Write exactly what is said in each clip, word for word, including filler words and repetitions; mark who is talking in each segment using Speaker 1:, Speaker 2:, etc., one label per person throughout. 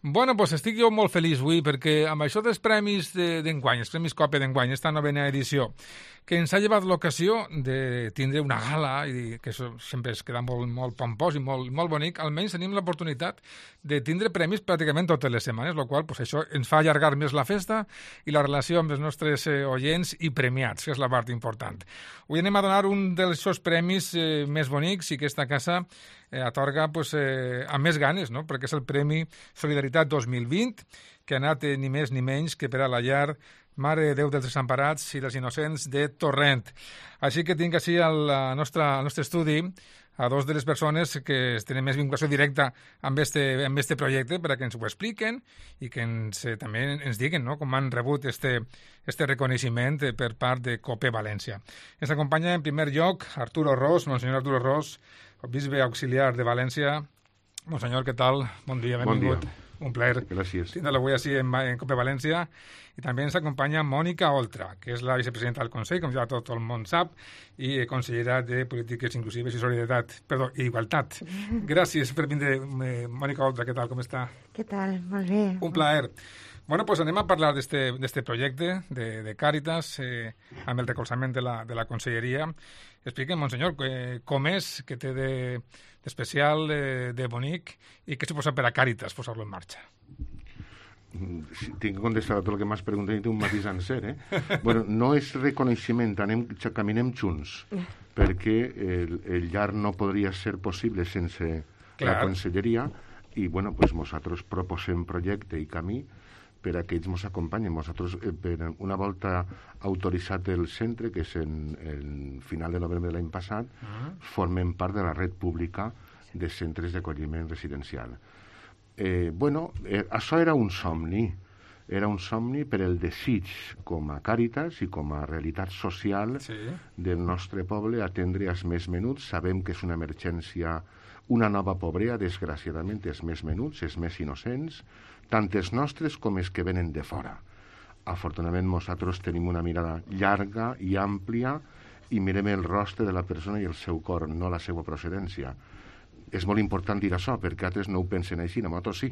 Speaker 1: Bueno, doncs estic jo molt feliç avui perquè amb això dels premis d'enguany, els premis Cope d'enguany, esta novena edició, que ens ha llevat l'ocasió de tindre una gala, i que això sempre es queda molt, molt pompós i molt, molt bonic, almenys tenim l'oportunitat de tindre premis pràcticament totes les setmanes, el qual pues, això ens fa allargar més la festa i la relació amb els nostres eh, oients i premiats, que és la part important. Avui anem a donar un dels seus premis eh, més bonics i que esta casa eh, atorga pues, eh, amb més ganes, no? Perquè és el Premi Solidaritat dos mil vint, que ha anat eh, ni més ni menys que per a la llar Mare de Déu dels Desemparats i dels Innocents de Torrent. Així que tinc així al, nostre, al nostre estudi a dos de les persones que tenen més vinculació directa amb este, amb este projecte perquè ens ho expliquen i que ens, eh, també ens diguen no, com han rebut este, este reconeixement per part de Cope València. Ens acompanya en primer lloc Arturo Ros, Monsenyor Arturo Ros, bisbe auxiliar de València. Monsenyor, què tal? Bon dia, benvingut.
Speaker 2: Bon dia.
Speaker 1: Un plaer.
Speaker 2: Gràcies.
Speaker 1: Tindre-lo avui així en, en Cope València. I també ens acompanya Mònica Oltra, que és la vicepresidenta del Consell, com ja tot el món sap, i consellera de Polítiques Inclusives i Solidaritat, perdó, i Igualtat. Gràcies per vindre, Mònica Oltra, què tal, com està?
Speaker 3: Què tal? Molt bé.
Speaker 1: Un plaer. Bueno, pues anem a parlar d'este projecte de, de Càritas eh, amb el recolzament de la, de la Conselleria. Expliquem, Monsenyor, eh, com és que té d'especial, de, de, de bonic i què suposa per a Càritas posar-lo en marxa?
Speaker 2: Si tinc que contestar tot el que m'has preguntat i té un matís sencer, eh? Bueno, no és reconeixement, anem, caminem junts, perquè el, el llar no podria ser possible sense Clar. La Conselleria i, bueno, pues nosaltres proposem projecte i camí per a que ells ens acompanyen. Nosaltres, eh, per una volta autoritzat el centre, que és en el final de novembre de l'any passat, uh-huh. formem part de la red pública de centres d'acolliment residencial. Eh, bueno, eh, això era un somni. Era un somni per el desig com a Càritas i com a realitat social sí. del nostre poble atendre els més menuts. Sabem que és una emergència, una nova pobrea, desgraciadament, els més menuts, els més innocents, tant els nostres com els que venen de fora. Afortunadament, nosaltres tenim una mirada llarga i àmplia i mirem el rostre de la persona i el seu cor, no la seva procedència. És molt important dir això, perquè altres no ho pensen així, nosaltres sí.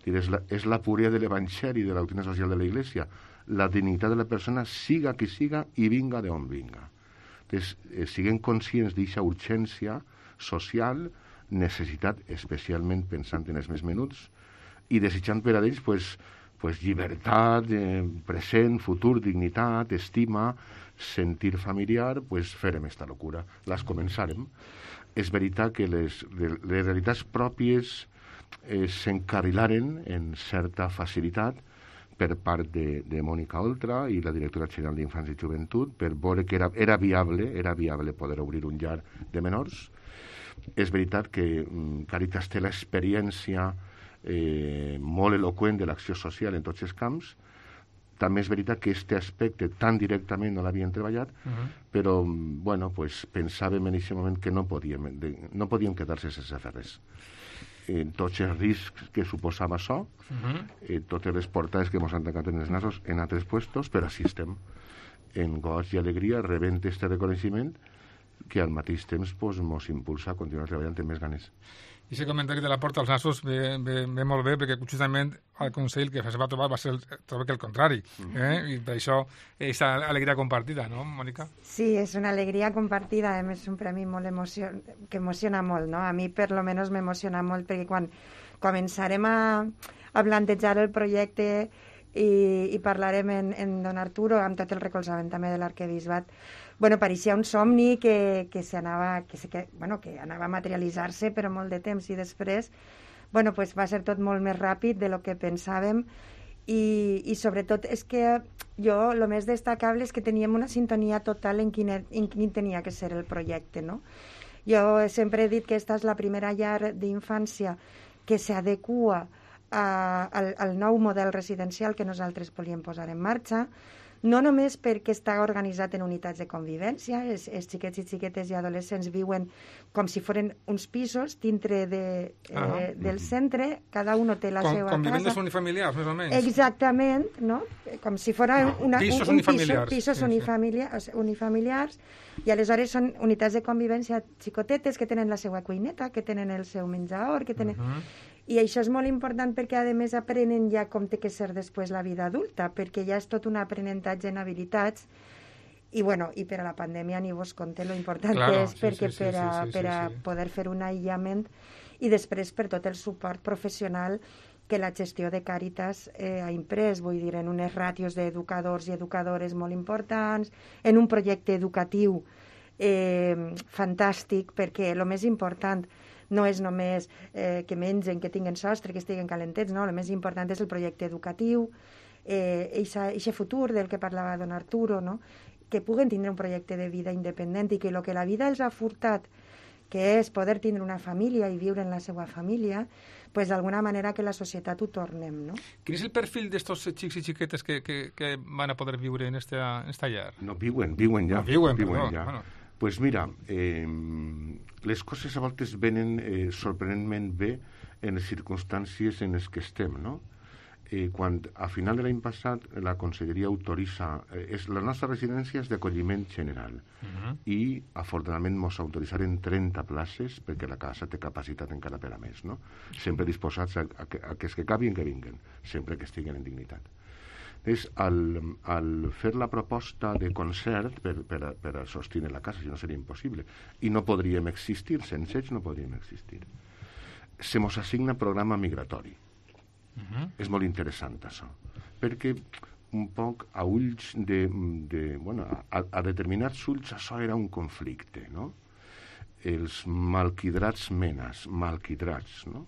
Speaker 2: És la, és la puresa de l'Evangeli, de la doctrina social de la Iglesia. La dignitat de la persona, siga qui siga i vinga d'on vinga. Entonces, eh, siguem conscients d'aquesta urgència social, necessitat, especialment pensant en els més menuts, i desitjant per a ells pues, pues, llibertat, eh, present, futur, dignitat, estima, sentir familiar, pues, farem esta locura. Les començarem. És veritat que les, les realitats pròpies eh, s'encarrilaren en certa facilitat per part de, de Mònica Oltra i la directora general d'Infants i Joventut per veure que era, era viable era viable poder obrir un llar de menors. És veritat que mm, Càritas té l'experiència eh, molt eloqüent de l'acció social en tots els camps. També és veritat que aquest aspecte tan directament no l'havien treballat, uh-huh. però bueno, pues, pensàvem en aquest moment que no podíem, de, no podíem quedar-se sense fer res. Eh, tots els riscs que suposava això, uh-huh. eh, totes les portades que ens han tancat en els nassos en altres puestos, però així estem, en goig i alegria, rebent aquest reconeixement que al mateix temps pues, ens impulsa a continuar treballant amb més ganes.
Speaker 1: I aquest comentari de la porta als nassos ve, ve, ve molt bé perquè justament el Consell que es va trobar va ser el, trobar que el contrari eh? I per això aquesta alegria compartida, no, Mònica?
Speaker 3: Sí, és una alegria compartida, a més és un premi molt emocio... que emociona molt, no? A mi per lo menos m'emociona molt perquè quan començarem a, a plantejar el projecte i, i parlarem en, en Don Arturo amb tot el recolzament també de l'arquebisbat, bueno, pareixia un somni que, que, anava, que, que, bueno, que anava a materialitzar-se però molt de temps i després bueno, pues va ser tot molt més ràpid de lo que pensàvem i, i sobretot és que jo el més destacable és que teníem una sintonia total en quin, en quin tenia que ser el projecte, no? Jo sempre he dit que esta és la primera llar d'infància que s'adequa al, al nou model residencial que nosaltres volíem posar en marxa, no només perquè està organitzat en unitats de convivència, els, els xiquets i xiquetes i adolescents viuen com si foren uns pisos dintre de, eh, ah. del centre, cada un té la com, seva
Speaker 1: com
Speaker 3: casa.
Speaker 1: Com unifamiliars, més o menys.
Speaker 3: Exactament, no? Com si fos una,
Speaker 1: pisos
Speaker 3: un, un
Speaker 1: unifamiliars.
Speaker 3: Piso, pisos sí, unifamiliars, sí. unifamiliars, i aleshores són unitats de convivència xicotetes que tenen la seva cuineta, que tenen el seu menjador, que tenen... Uh-huh. I això és molt important perquè, a més, aprenen ja com té que ser després la vida adulta, perquè ja és tot un aprenentatge en habilitats. I, bueno, i per a la pandèmia ni vos conté lo important
Speaker 1: claro,
Speaker 3: que és,
Speaker 1: sí,
Speaker 3: perquè
Speaker 1: sí, sí,
Speaker 3: per a,
Speaker 1: sí, sí,
Speaker 3: per a
Speaker 1: sí.
Speaker 3: poder fer un aïllament, i després per tot el suport professional que la gestió de Càritas eh, ha imprès, vull dir, en unes ràtios d'educadors i educadores molt importants, en un projecte educatiu eh, fantàstic, perquè el més important no és només eh, que mengen, que tinguen sostre, que estiguen calentets, no? El més important és el projecte educatiu, eh, eixe futur del que parlava don Arturo, no? Que puguen tindre un projecte de vida independent i que el que la vida els ha furtat, que és poder tindre una família i viure en la seva família, pues d'alguna manera que la societat ho tornem, no?
Speaker 1: Quin és el perfil d'estos xics i xiquetes que, que, que van a poder viure en esta, en esta llar?
Speaker 2: No, viuen, viuen ja.
Speaker 1: No, viuen,
Speaker 2: viuen
Speaker 1: perdó.
Speaker 2: ja.
Speaker 1: Bueno.
Speaker 2: Pues mira, eh, les coses a voltes venen eh, sorprenentment bé en les circumstàncies en les que estem, no? Eh, quan a final de l'any passat la Conselleria autoritza... Eh, és, la nostra residència és d'acolliment general uh -huh. i afortunadament ens autoritzaran trenta places perquè la casa té capacitat encara per a més, no? Sempre disposats a, a, que, a que els que cabin que vinguen, sempre que estiguen en dignitat. És al, al fer la proposta de concert per, per, a, per a sostindre la casa, si no seria impossible, i no podríem existir, sense ells no podríem existir. Se mos assigna programa migratori. Uh-huh. És molt interessant això, perquè un poc a ulls de, de bueno, a, a determinats ulls això era un conflicte, no? Els malquidrats menes, malquidrats, no?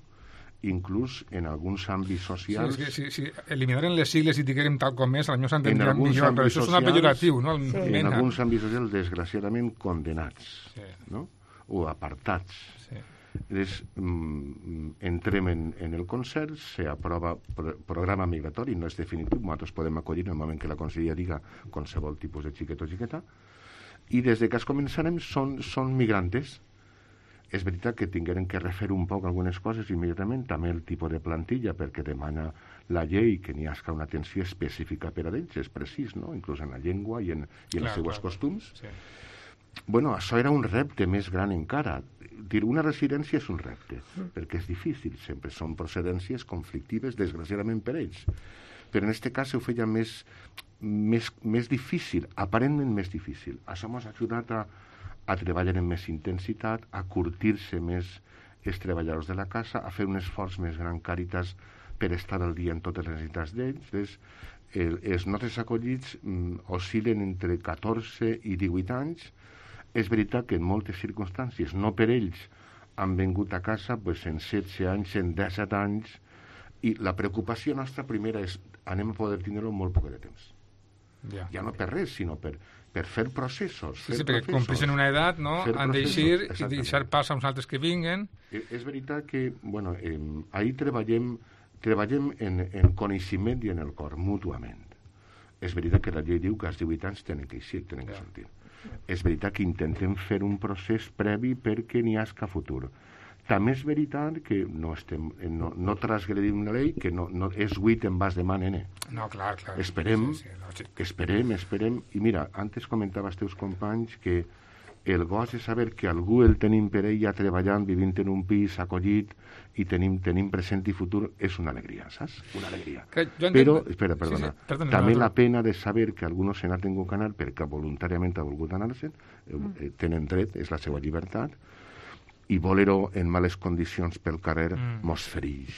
Speaker 2: Inclús en alguns àmbits socials...
Speaker 1: Sí, sí, sí, sí. Eliminaren les sigles i diguem tal com és, potser s'entendria millor, però això és
Speaker 2: socials,
Speaker 1: una pejoratiu, no?
Speaker 3: Sí.
Speaker 2: En
Speaker 1: Mena.
Speaker 2: alguns àmbits socials, desgraciadament, condenats,
Speaker 1: Sí.
Speaker 2: no? O apartats.
Speaker 1: Sí.
Speaker 2: És, mm, entrem en, en el concert, s'aprova pro, programa migratori, no és definitiu, nosaltres podem acollir en el moment que la Conselleria diga qualsevol tipus de xiquet o xiqueta, i des de que es començarem són, són migrantes. És veritat que tingueren que refer un poc algunes coses immediatament, també el tipus de plantilla, perquè demana la llei que n'hi hagi una atenció específica per a ells, és precís, no? Inclús en la llengua i en, i en
Speaker 1: Clar,
Speaker 2: els seus
Speaker 1: clar,
Speaker 2: costums.
Speaker 1: Sí.
Speaker 2: Bueno, això era un repte més gran encara. Dir una residència és un repte, mm. perquè és difícil, sempre són procedències conflictives, desgraciadament per ells. Però en aquest cas ho feia més, més, més difícil, aparentment més difícil. Això ens ha ajudat a, a treballar amb més intensitat, a curtir-se més els treballadors de la casa, a fer un esforç més gran Càritas per estar al dia en totes les necessitats d'ells. El, els nostres acollits mm, oscil·len entre catorze i divuit anys. És veritat que en moltes circumstàncies, no per ells, han vingut a casa pues, en setze anys, en disset anys, i la preocupació nostra primera és anem a poder tindre-ho molt poc de temps.
Speaker 1: Ja.
Speaker 2: Ja no per res, sinó per, per fer processos.
Speaker 1: Sí,
Speaker 2: fer
Speaker 1: sí, perquè
Speaker 2: processos,
Speaker 1: compleixen una edat, no? Han d'eixir i deixar pas a uns altres que vinguen.
Speaker 2: Eh, És veritat que, bueno, eh, ahir treballem, treballem en, en coneixement i en el cor, mútuament. És veritat que la llei diu que als divuit anys tenen que eixir, tenen que
Speaker 1: Ja.
Speaker 2: sortir. És veritat que intentem fer un procés previ perquè n'hi hagi futur. També és veritat que no, estem, no, no transgredim la llei, que no, no és buit en vas de mà, nene.
Speaker 1: No, clar, clar.
Speaker 2: Esperem,
Speaker 1: Sí, sí, lògic.
Speaker 2: esperem, esperem. I mira, antes comentava als teus companys que el goig de saber que algú el tenim per ella treballant, vivint en un pis, acollit, i tenim, tenim present i futur, és una alegria, saps? Una alegria.
Speaker 1: Que jo entenc-
Speaker 2: Però, espera, perdona,
Speaker 1: Sí, sí, perdona,
Speaker 2: també
Speaker 1: no, no.
Speaker 2: la pena de saber que algú no se n'ha tingut que anar perquè voluntàriament ha volgut anar-se'n, eh, tenen dret, és la seva llibertat, i voler-ho en males condicions pel carrer
Speaker 1: Mm.
Speaker 2: mos fereix.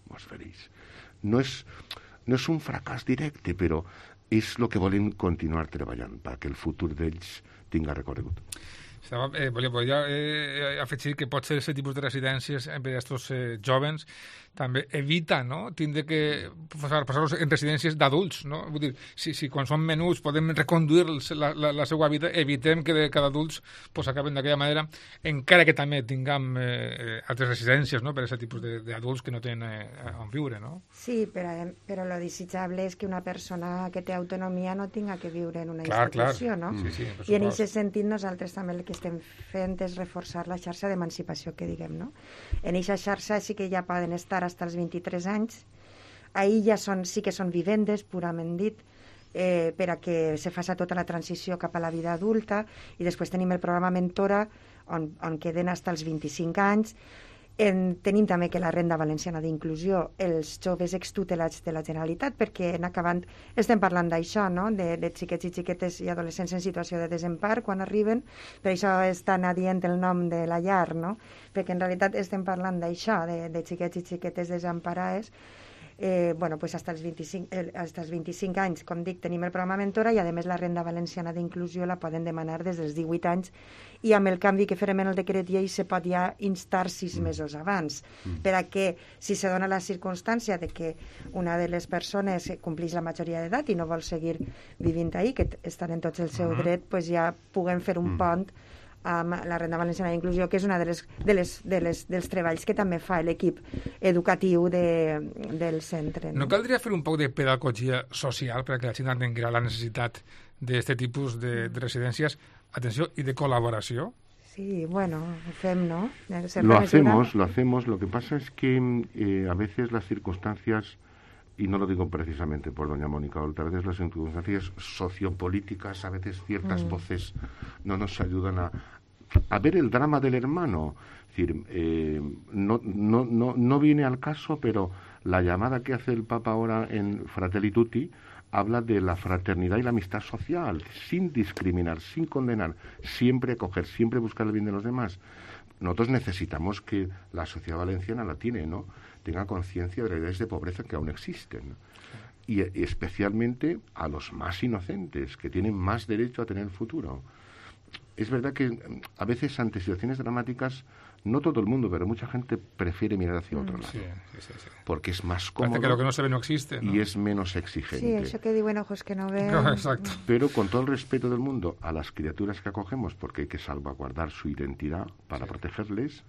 Speaker 2: Mos fereix. No és, no és un fracàs directe, però és el que volem continuar treballant perquè el futur d'ells tinga recorregut.
Speaker 1: Estava, eh, volia, volia eh, afegir que pot ser aquest tipus de residències eh, per a aquests eh, jovens també evita, no?, tindre que passar- passar-los en residències d'adults, no? Vull dir, si, si quan són menuts podem reconduir la, la, la seva vida, evitem que de cada adults pues, acaben d'aquella manera, encara que també tinguem eh, altres residències, no?, per a aquest tipus de- d'adults que no tenen eh, on viure, no?
Speaker 3: Sí, però, però lo desitjable és que una persona que té autonomia no tinga que viure en una
Speaker 1: Clar, clar.
Speaker 3: institució, no?
Speaker 1: Sí, sí, per
Speaker 3: I en
Speaker 1: supost.
Speaker 3: aquest sentit nosaltres també el que estem fent és reforçar la xarxa d'emancipació que diguem, no? En aquesta xarxa sí que ja poden estar fins als vint-i-tres anys. Ahir ja són, sí que són vivendes, purament dit, eh, per a que se faci tota la transició cap a la vida adulta, i després tenim el programa Mentora, on, on queden fins als vint-i-cinc anys, En, tenim també que la renda valenciana d'inclusió, els joves extutelats de la Generalitat, perquè en acabant estem parlant d'això, no? de, de xiquets i xiquetes i adolescents en situació de desempar quan arriben, per això és tan adient el nom de la llar, no? Perquè en realitat estem parlant d'això, de, de xiquets i xiquetes desemparades. Eh, bueno, pues hasta els vint-i-cinc, eh, hasta els vint-i-cinc anys, com dic, tenim el programa Mentora i a més la renda valenciana d'inclusió la poden demanar des dels divuit anys i amb el canvi que farem en el decret llei se pot ja instar sis mm. mesos abans mm. per a que si se dona la circumstància de que una de les persones complix la majoria d'edat i no vol seguir vivint ahí, que estan en tots el seu mm. dret, pues ja puguem fer un mm. pont amb la renda valenciana d'inclusió, que és una de les, de les, de les, dels treballs que també fa l'equip educatiu de, del centre.
Speaker 1: No? no caldria fer un poc de pedagogia social perquè la gent entengui la necessitat d'aquest tipus de, de residències, atenció, i de col·laboració?
Speaker 3: Sí, bueno, lo fem, ¿no?
Speaker 2: Lo hacemos, lo hacemos. Lo que pasa es que eh, a veces las circunstancias, y no lo digo precisamente por doña Mónica Oltra, a veces las circunstancias sociopolíticas, a veces ciertas mm. voces no nos ayudan a, a ver el drama del hermano. Es decir, eh, no, no, no, no viene al caso, pero la llamada que hace el Papa ahora en Fratelli Tutti habla de la fraternidad y la amistad social, sin discriminar, sin condenar, siempre acoger, siempre buscar el bien de los demás. Nosotros necesitamos que la sociedad valenciana la tiene, ¿no? Tenga conciencia de realidades de pobreza que aún existen. Y especialmente a los más inocentes, que tienen más derecho a tener futuro. Es verdad que a veces ante situaciones dramáticas, no todo el mundo, pero mucha gente prefiere mirar hacia otro lado. Sí, sí, sí. Porque es más cómodo.
Speaker 1: Parece que lo que no se ve no existe, ¿no?
Speaker 2: Y es menos exigente.
Speaker 3: Sí, eso que digo en ojos que no ven.
Speaker 1: No, exacto.
Speaker 2: Pero con todo el respeto del mundo a las criaturas que acogemos, porque hay que salvaguardar su identidad para sí. protegerles,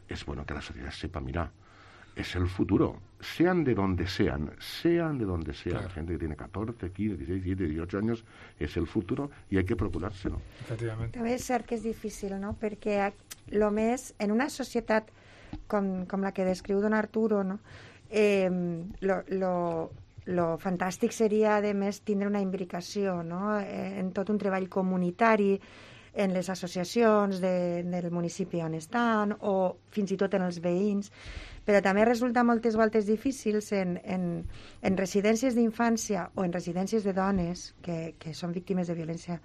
Speaker 2: es bueno que la sociedad sepa, mira, es el futuro, sean de donde sean, sean de donde sean. Claro. Gente que tiene catorze, quinze, dieciséis, diecisiete, dieciocho años, és el futur i hay que procurar-se-lo.
Speaker 1: Efectivament.
Speaker 3: També és cert que és difícil, no? Perquè lo més, en una societat com, com la que descriu don Arturo, no? Eh, lo, lo, lo fantàstic seria, a més, tindre una imbricació, no? En tot un treball comunitari, en les associacions de, del municipi on estan, o fins i tot en els veïns, però també resulta moltes voltes difícils en, en, en residències d'infància o en residències de dones que, que són víctimes de violència.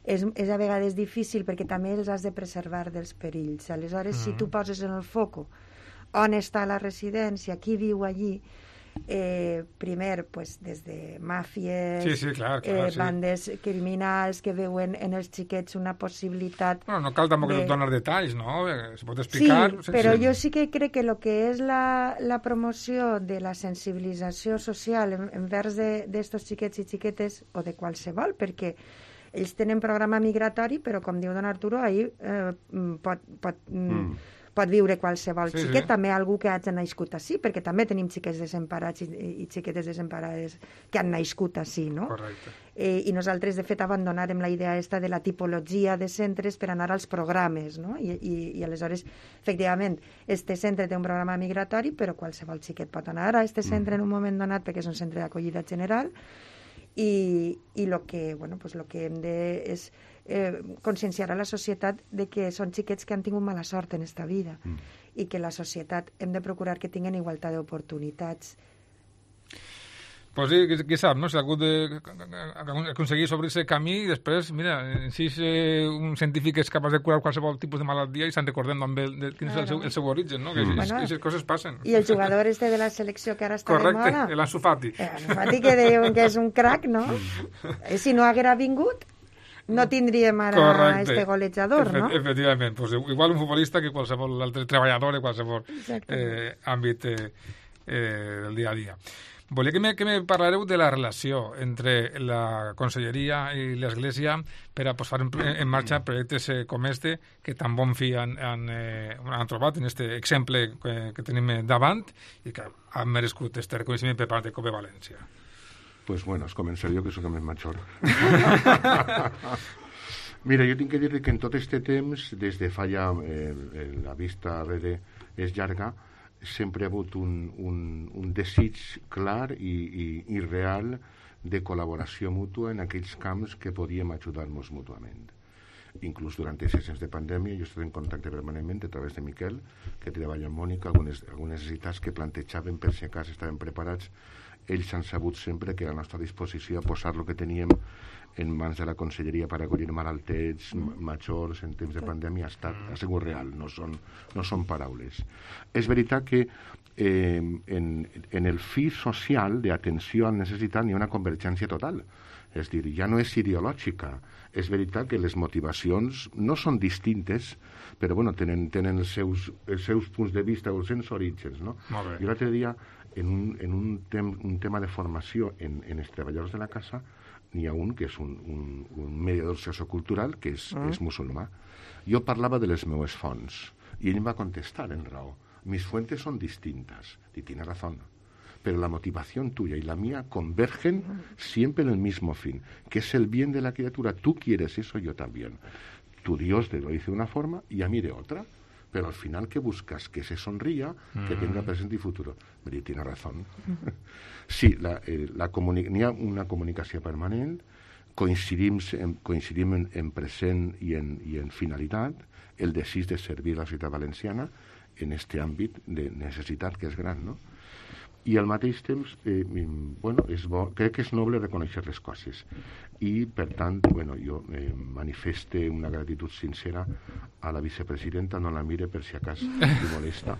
Speaker 3: És, és a vegades difícil perquè també els has de preservar dels perills. Aleshores, mm. si tu poses en el foco on està la residència, qui viu allí, eh, primer, pues, des de màfies,
Speaker 1: sí, sí, clar, clar,
Speaker 3: eh,
Speaker 1: sí.
Speaker 3: bandes criminals que veuen en els xiquets una possibilitat...
Speaker 1: Bueno, no cal tampoc de... donar detalls, no? Se pot explicar...
Speaker 3: Sí, sense... però jo sí que crec que el que és la, la promoció de la sensibilització social en, envers d'estos xiquets i xiquetes, o de qualsevol, perquè ells tenen programa migratori, però, com diu don Arturo, ahir eh, pot... pot mm. pot viure qualsevol sí, xiquet, sí. també algú que hagi nascut així, perquè també tenim xiquets desemparats i, i xiquetes desemparades que han nascut així, no?
Speaker 1: Correcte.
Speaker 3: Eh, I nosaltres, de fet, abandonarem la idea esta de la tipologia de centres per anar als programes, no? I, i, i aleshores, efectivament, este centre té un programa migratori, però qualsevol xiquet pot anar a este centre en un moment donat perquè és un centre d'acollida general i, i lo que, bueno, pues lo que hem de és eh, conscienciar a la societat de que són xiquets que han tingut mala sort en esta vida mm. i que la societat hem de procurar que tinguin igualtat d'oportunitats.
Speaker 1: Pues sí, qui, qui sap, no? Si algú de, aconseguir sobre aquest camí i després, mira, si és eh, un científic és capaç de curar qualsevol tipus de malaltia i se'n recordem també de, de quin claro. és el seu, el seu origen, no? Que aquestes mm. bueno, coses passen.
Speaker 3: I el jugador este de la selecció que ara està
Speaker 1: correcte,
Speaker 3: de moda.
Speaker 1: Correcte, l'Ansu Fati.
Speaker 3: L'Ansu Fati que diuen que és un crac, no? Si no haguera vingut, no tindríem ara correcte. Este golejador, Efe, no?
Speaker 1: Efectivament, pues igual un futbolista que qualsevol altre treballador de qualsevol eh, àmbit eh, eh, del dia a dia. Volia que me, que me parlareu de la relació entre la Conselleria i l'Església per a posar en, en marxa projectes eh, com este, que tan bon fi han, han, eh, han trobat en este exemple que, que tenim davant i que han merescut este reconeixement per part de Cope València.
Speaker 2: Pues bueno, es començaré jo, que soc el més major. Mira, jo tinc que dir que en tot este temps, des de fa ja eh, la vista arrere és llarga, sempre ha hagut un, un, un desig clar i, i, i real de col·laboració mútua en aquells camps que podíem ajudar-nos mútuament. inclús durant aquests sessions de pandèmia, jo he estat en contacte permanentment a través de Miquel, que treballa amb Mònica, algunes, algunes necessitats que plantejaven per si a cas estaven preparats. Ells han sabut sempre que a la nostra disposició a posar el que teníem en mans de la conselleria per acollir malaltets, majors, en temps de pandèmia, ha, estat, ha sigut real, no són, no són paraules. És veritat que eh, en, en el fi social d'atenció a la necessitat n'hi ha una convergència total. És dir, ja no és ideològica. És veritat que les motivacions no són distintes, però bueno, tenen, tenen els, seus, els seus punts de vista o els seus orígens. No? Jo l'altre dia, en, un, en un, tem, un tema de formació en, en els treballadors de la casa, n'hi ha un que és un, un, un mediador sociocultural que és, mm. és musulmà. Jo parlava de les meues fonts i ell em va contestar en raó. Mis fuentes son distintas. Y tiene razón. Pero la motivación tuya y la mía convergen siempre en el mismo fin, que es el bien de la criatura. Tú quieres eso, yo también. Tu Dios te lo dice de una forma y a mí de otra. Pero al final, ¿qué buscas? Que se sonría, mm. que tenga presente y futuro. Pero tiene razón. Mm. Sí, la, eh, la comuni- n'hi ha una comunicació permanent, coincidim en, coincidim en, en present i en, i en finalitat, el desig de servir la ciutat valenciana en este àmbit de necessitat que és gran, no? I al mateix temps, eh, bueno, és bo, crec que és noble reconèixer les coses. I, per tant, bueno, jo eh, manifeste una gratitud sincera a la vicepresidenta, no la mire per si acas li molesta,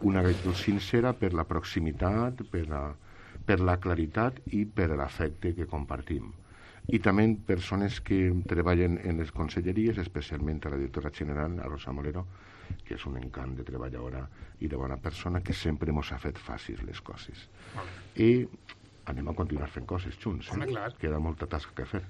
Speaker 2: una gratitud sincera per la proximitat, per la, per la claritat i per l'afecte que compartim. I també persones que treballen en les conselleries, especialment a la directora general, a Rosa Molero, que és un encant de treballadora i de bona persona, que sempre ens ha fet fàcils les coses. I anem a continuar fent coses junts, eh?
Speaker 1: Home, clar.
Speaker 2: Queda molta tasca que fer.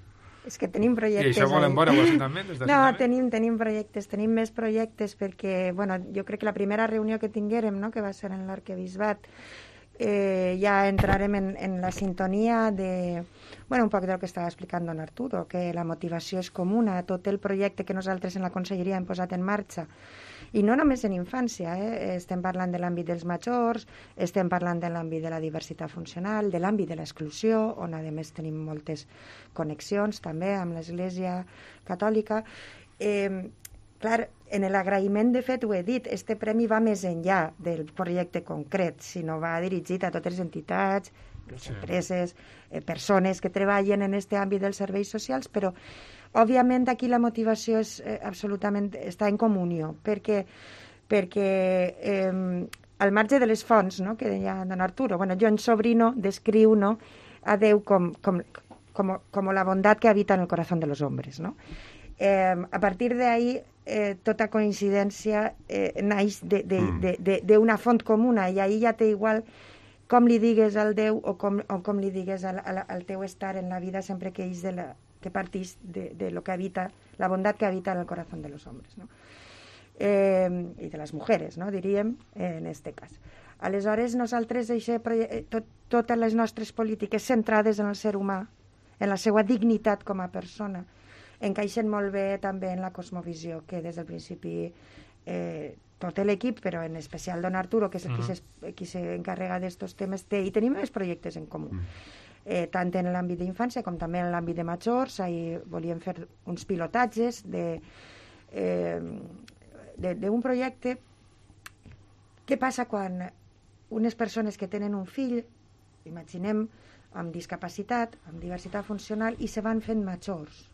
Speaker 3: És que tenim projectes...
Speaker 1: I això volen veure ho també? Des de
Speaker 3: no, tenim, tenim projectes, tenim més projectes perquè, bueno, jo crec que la primera reunió que tinguérem, no?, que va ser en l'Arquebisbat, eh, ja entrarem en, en la sintonia de, bueno, un poc del que estava explicant don Arturo, que la motivació és comuna, tot el projecte que nosaltres en la conselleria hem posat en marxa. I no només en infància, eh? Estem parlant de l'àmbit dels majors, estem parlant de l'àmbit de la diversitat funcional, de l'àmbit de l'exclusió, on a més tenim moltes connexions també amb l'Església Catòlica. Eh, clar, en l'agraïment, de fet, ho he dit, este premi va més enllà del projecte concret, sinó va dirigit a totes les entitats, les sí. empreses, eh, persones que treballen en aquest àmbit dels serveis socials, però òbviament aquí la motivació és eh, absolutament, està en comunió, perquè, perquè eh, al marge de les fonts, no?, que deia don Arturo, bueno, John Sobrino descriu, no?, a Déu com, com, com, com la bondat que habita en el corazón de los hombres, no? Eh, a partir d'ahí, eh, tota coincidència eh, naix d'una font comuna, i ahí ja té igual com li digues al Déu o com, o com li digues al, al, al teu estar en la vida, sempre que és de la que partís de, de lo que habita, la bondad que habita en el corazón de los hombres, ¿no? Eh, i de les mujeres, no?, diríem, eh, en este cas. Aleshores, nosaltres, eixe, tot, totes les nostres polítiques centrades en el ser humà, en la seva dignitat com a persona, encaixen molt bé també en la cosmovisió que des del principi eh, tot l'equip, però en especial don Arturo, que és el uh-huh. qui s'encarrega d'estos temes, té, i tenim més projectes en comú. Uh-huh. Eh, tant en l'àmbit d'infància com també en l'àmbit de majors. Ahir volíem fer uns pilotatges de, eh, de, d'un projecte. Què passa quan unes persones que tenen un fill, imaginem, amb discapacitat, amb diversitat funcional, i se van fent majors?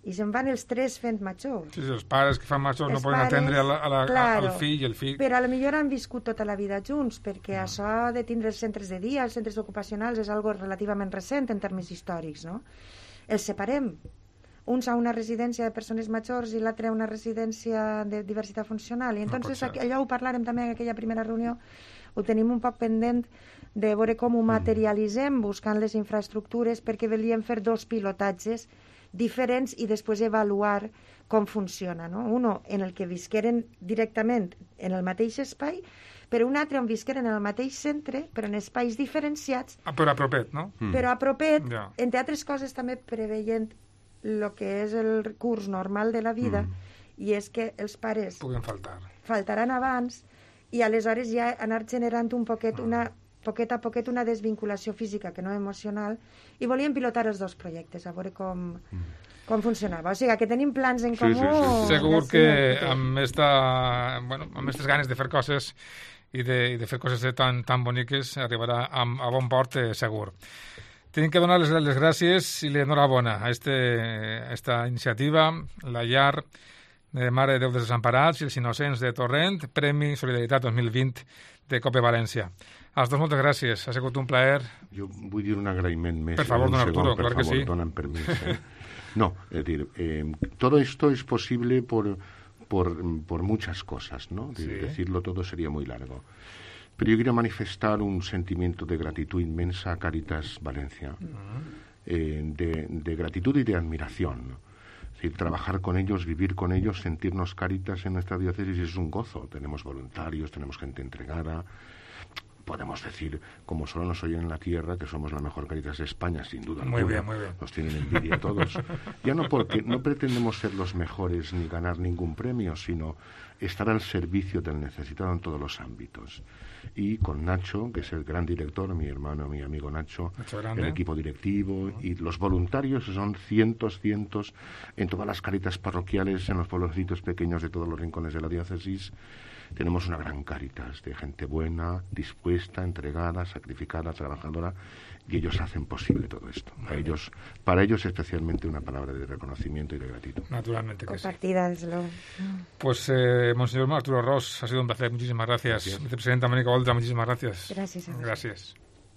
Speaker 3: I se'n van els tres fent majors.
Speaker 1: Sí, sí, els pares que fan majors no poden atendre a la, a la, claro, al fill i el fill...
Speaker 3: Però a lo millor han viscut tota la vida junts, perquè no. això de tindre els centres de dia, els centres ocupacionals, és algo relativament recent en termes històrics, no? Els separem. Uns a una residència de persones majors i l'altre a una residència de diversitat funcional. I entonces no allò ho parlarem també en aquella primera reunió, ho tenim un poc pendent de veure com ho materialitzem buscant les infraestructures, perquè volíem fer dos pilotatges diferents i després avaluar com funciona, no? Uno en el que visqueren directament en el mateix espai, però un altre on visqueren en el mateix centre, però en espais diferenciats.
Speaker 1: Ah, però a propet, no?
Speaker 3: Mm. Però a propet, ja. Entre altres coses també preveient el que és el curs normal de la vida, mm. i és que els pares
Speaker 1: puguen faltar.
Speaker 3: Faltaran abans, i aleshores ja anar generant un poquet mm. una poquet a poquet una desvinculació física que no emocional, i volíem pilotar els dos projectes, a veure com... Mm. com funcionava. O sigui, que tenim plans en
Speaker 2: Sí,
Speaker 3: comú.
Speaker 2: sí, sí, sí.
Speaker 1: Segur
Speaker 3: de
Speaker 1: que
Speaker 3: sí,
Speaker 1: amb esta, bueno, amb aquestes ganes de fer coses i de, i de fer coses tan, tan boniques arribarà a, a bon port, eh, segur. Tenim que donar les, les gràcies i l'enhorabona a, este, a esta iniciativa, la llar de Mare de Déu dels Desemparats i els Innocents de Torrent, Premi Solidaritat dos mil vint de COPE València. Als dos, moltes gràcies. Ha sigut un plaer.
Speaker 2: Jo vull dir un agraïment més.
Speaker 1: Per favor,
Speaker 2: un
Speaker 1: don
Speaker 2: segon,
Speaker 1: Arturo,
Speaker 2: per
Speaker 1: clar que
Speaker 2: favor,
Speaker 1: sí.
Speaker 2: Donan permiso. ¿eh? No, es decir, eh, todo esto es posible por, por, por muchas cosas, ¿no? De,
Speaker 1: Sí.
Speaker 2: Decirlo todo sería muy largo. Pero yo quiero manifestar un sentimiento de gratitud inmensa a Cáritas Valencia, eh, de, de gratitud y de admiración, ¿no? Es decir, trabajar con ellos, vivir con ellos, sentirnos Cáritas en nuestra diócesis es un gozo. Tenemos voluntarios, tenemos gente entregada. Podemos decir, como solo nos oyen en la tierra, que somos la mejor Cáritas de España, sin duda
Speaker 1: Muy
Speaker 2: alguna.
Speaker 1: bien, muy bien.
Speaker 2: Nos tienen envidia todos. Ya no porque no pretendemos ser los mejores ni ganar ningún premio, sino estar al servicio del necesitado en todos los ámbitos. Y con Nacho, que es el gran director, mi hermano, mi amigo Nacho,
Speaker 1: Nacho Grande.
Speaker 2: el equipo directivo y los voluntarios, que son cientos, cientos, en todas las Cáritas parroquiales, en los pueblecitos pequeños de todos los rincones de la diócesis. Tenemos una gran Cáritas de gente buena, dispuesta, entregada, sacrificada, trabajadora, y ellos hacen posible todo esto. Para ellos, para ellos especialmente una palabra de reconocimiento y de gratitud.
Speaker 1: Naturalmente que sí.
Speaker 3: Compartida, desde luego.
Speaker 1: Pues, eh, Monseñor Arturo Ros, ha sido un placer. Muchísimas gracias.
Speaker 2: Gracias.
Speaker 1: Vicepresidenta Mónica Oltra, muchísimas gracias.
Speaker 3: Gracias a vosotros.
Speaker 1: Gracias.